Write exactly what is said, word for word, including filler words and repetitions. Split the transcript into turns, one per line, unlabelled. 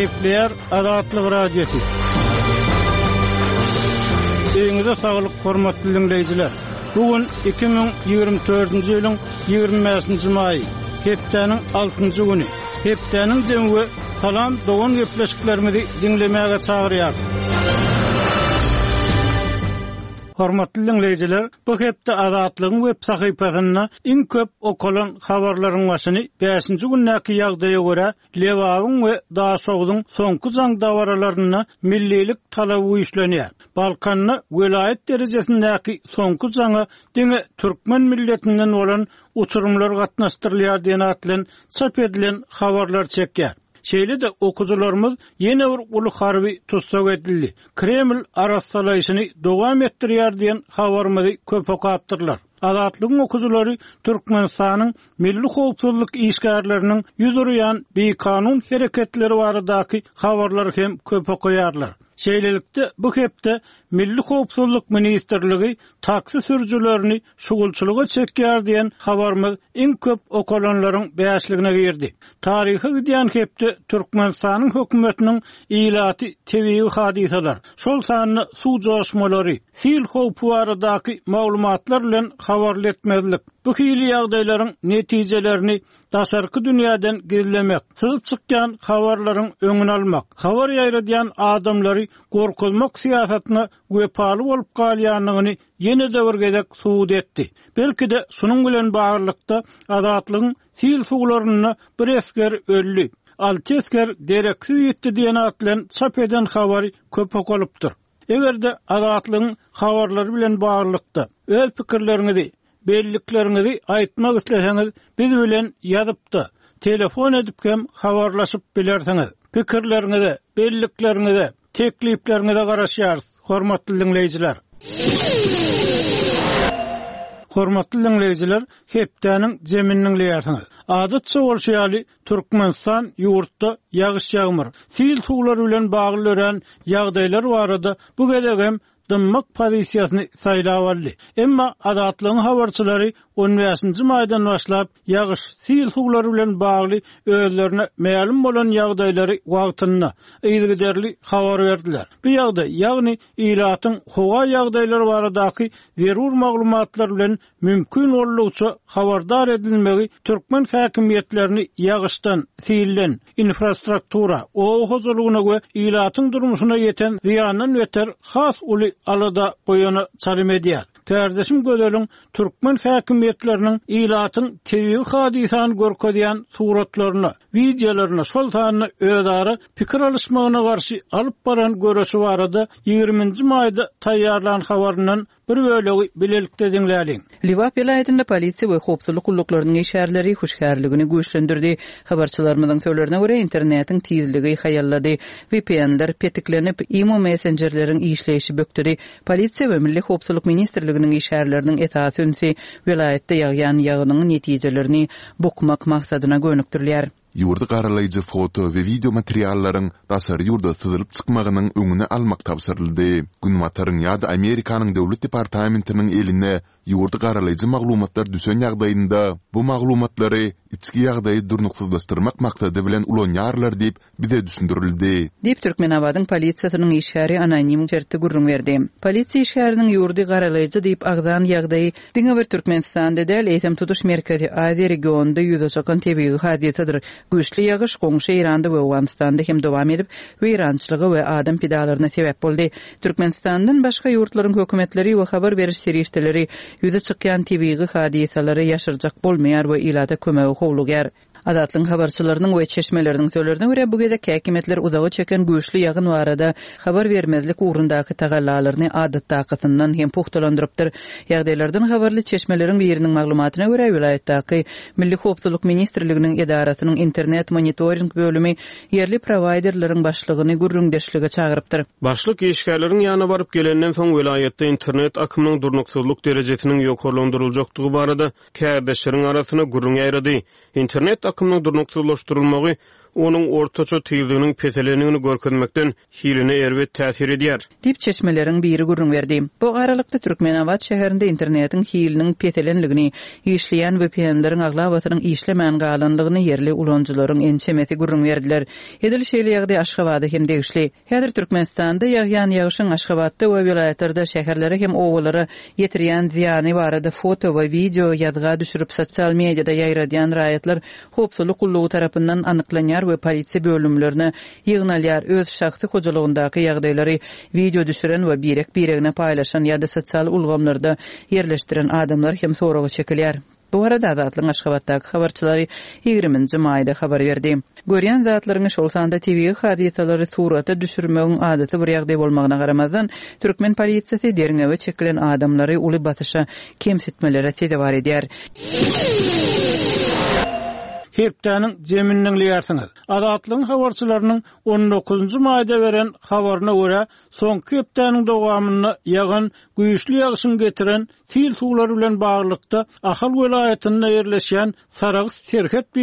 Gepleýär Azatlyk Radiosy. Öýüňize saglyk, hormatly diňleýjiler. Bu gün iki müň ýigrimi dördünji ýylyň ýigrimi bäşinji maýy, hepdäniň altynjy güni. Hepdäniň jemi we Salam dogan gepleşiklerimizi diňlemäge çagyrýar. Hormatly diňleýjiler, bu hepde Azatlygyň web sahypasynda iň köp okalan habarlaryň başyny bäşinji gündäki ýagdaýa görä Lebabyň we Daşogzuň soňky jaň dabaralarynda millilik talaby güýçlenýär. Balkanda welaýat derejesindäki soňky jaňa diňe türkmen milletinden bolan uçurymlar gatnaşdyrylýar diýen at bilen çap edilen habarlar çekýär. Şeýle-de okyjylarymyz ýene bir uly harby tussag edildi. Kreml arassalaýşyny dowam etdirýär diýen habarymyzy köp okapdyrlar. Azatlygyň okyjylary Türkmenistanyň milli howpsuzlyk işgärleriniň ýüz urýan bikanun hereketleri baradaky habarlary hem köp okaýarlar. Şeýlelikde, bu hepde Milli howpsuzlyk ministrligi taksi sürüjilerini şugulçylyga çekýär diýen habarymyz iň köp okalanlaryň bäşligine girdi. Taryha gidýän hepde Türkmenistanyň hökümetiniň ilaty tebigy hadysalar, şol sanda suw joşmalary, sil howpy baradaky maglumatlar bilen habarly etmezlik, bu hili ýagdaýlaryň netijelerini daşarky dünýäden gizlemek, syzyp çykýan habarlaryň öňüni almak, habar ýaýradýan adamlary gorkuzmak syýasatyna wepaly bolup galýandygyny ýene-de bir gezek subut etdi. Belki-de şunuň bilen baglylykda Azatlygyň sil suwlarynda bir esger öldi, alty esger dereksiz ýitdi diýen at bilen çap eden habary köp okalypdyr. Eger-de Azatlygyň habarlary bilen baglylykda öz pikirleriňizi, bellikleriňizi aýtmak isleseňiz, biz bilen ýazyp-da, telefon edip hem habarlaşyp bilersiňiz. Pikirleriňize, bellikleriňize, teklipleriňize garaşýarys, hormatly diňleýjiler. Hormatly diňleýjiler, hepdäniň jemini diňleýärsiňiz. Adatça bolşy ýaly, Türkmenistan ýurtda ýagyş-ýagmyr, sil suwlary bilen bagly dörän ýagdaýlar barada bu gezek hem dymmak pozisiýasyny saýlap aldy. Emma Azatlygyň habarçylary on bäşinji maýdan başlap ýagyş, sil suwlary bilen bagly özlerine mälim bolan ýagdaýlary wagtynda yzygiderli habar berdiler. Bu ýagdaý, ýagny ilatyň howa ýagdaýlary baradaky zerur maglumatlar bilen mümkin boldugyça habardar edilmegi türkmen häkimiýetlerini ýagyşdan, silden, infrastruktura, oba hojalygyna we ilatyň durmuşyna ýeten zyýandan beter has uly alada goýana çalym edýär. Kardeşim Gözeliň türkmen häkimiýetleriniň ilatyň tebigy hadysany görkezýän suratlaryna, wideolaryna, şol sanda özara pikir alyşmagyna garşy alyp baran göreşi barada ýigriminji maýda taýýarlan habaryndan bir bölegi bilelikde diňläliň.
Lebap welaýatynda polisiýa we howpsuzlyk gulluklarynyň işgärleri hüşgärligini güýçlendirdi. Habarçylarymyzyň sözlerine görä, internetiň tizligi haýallady. V P N-ler petiklenip, imo messenjerleriň işleýşi bökdedi. Polisiýa we Milli howpsuzlyk ministrliginiň işgärleriniň esasy ünsi welaýatda ýagýan ýagynyň netijelerini bukmak maksadyna gönükdirilýär.
Ýurdy garalaýjy foto we video materiallaryň daşary ýurda syzylyp çykmagynyň öňüni almak tabşyryldy. Günbataryň ýa-da Amerikanyň döwlet departamentiniň eline ýurdy garalaýjy maglumatlar düşen ýagdaýynda bu maglumatlary içki ýagdaýy durnuksyzlaşdyrmak maksady bilen ulanýarlar diýip bize düşündirildi.
Diýip Türkmenabadyň polisiýasynyň işgäri anonim şertde gürrüň berdi. Polisiýa işgäriniň ýurdy garalaýjy diýip agzan ýagdaýy diňe bir Türkmenistanda däl, eýsem tutuş Merkezi Aziýa regionynda ýüze çykan tebigy hadysadyr. Güýçli ýagyş goňşy Eýranda we Owganystanda hem dowam edip, weýrançylyga we adam pidalaryna sebäp boldy. Türkmenistandan başga ýurtlaryň hökümetleri we habar beriş serişdeleri ýüze çykýan tebigy hadysalary ýaşyrjak bolmaýar we ilata kömegi howlugýar. Azatlygyň habarçylarynyň we çeşmeleriniň sözlerine görä bu gezek häkimiýetler uzaga çeken güýçli ýagyn barada habar bermezlik ugrundaky tagallalaryny adatdakysyndan hem puhtalandyrypdyr. Ýagdaýlardan habarly çeşmeleriň biriniň maglumatyna görä welaýatdaky Milli Howpsuzlyk Ministrliginiň edarasynyň internet monitoring bölümi ýerli prowaýderleriň başlygyny gürrüňdeşlige çagyrypdyr.
Başlyk işgärleriň ýanyna baryp gelenden soň welaýatda internet akymynyň durnuksyzlyk derejesiniňýokarlandyryljakdygy barada kärdeşleriň arasyna gürrüň ýaýrady. Internet akymynyň durnuksyzlaşdyrylmagy onuň ortaça tizliginiň peselendigini görkezmekden hiline erbet täsir edýär.
Diýip, çeşmeleriň biri gürrüň berdi. Bu aralykda, Türkmenabat şäherinde internetiň hiliniň peselendigini, işleýän VPN-leriň aglabasynyň işlemän galandygyny ýerli ulanyjylaryň ençemesi gürrüň berdiler. Edil şeýle ýagdaý Aşgabada hem degişli. Häzir Türkmenistanda ýagýan ýagşyň Aşgabatda we welaýatlarda şäherlere hem obalara ýetirýän zyýany barada foto we wideo ýazga düşürip sosial mediada ýaýradýan raýatlar howpsuzlyk gullugy tarapyndan anyklanýar we polisiýa bölümlerine ýygnalýar. Öz şahsy hojalygyndaky ýagdaýlary wideo düşüren we birek-biregine paýlaşan ýa-da sosial ulgamlarda ýerleşdiren adamlar hem soraga çekilýär. Bu barada Azatlygyň Aşgabatdaky habarçylary ýigriminji maýda habar berdi. Görýän zatlaryňy, şol sanda tebigy hadysalary surata düşürmegiň adaty bir ýagdaý bolmagyna garamazdan, türkmen polisiýasy derňewe çekilen adamlary uly basyşa, kemsitmelere sezewar edýär.
Hepdäniň jemini diňleýärsiňiz. Azatlygyň habarçylarynyň on dokuzynjy maýda beren habaryna görä, soňky hepdäniň dowamynda ýagan güýçli ýagyşyň getiren sil suwlary bilen baglylykda Ahal welaýatynda ýerleşýän Sarahs serhet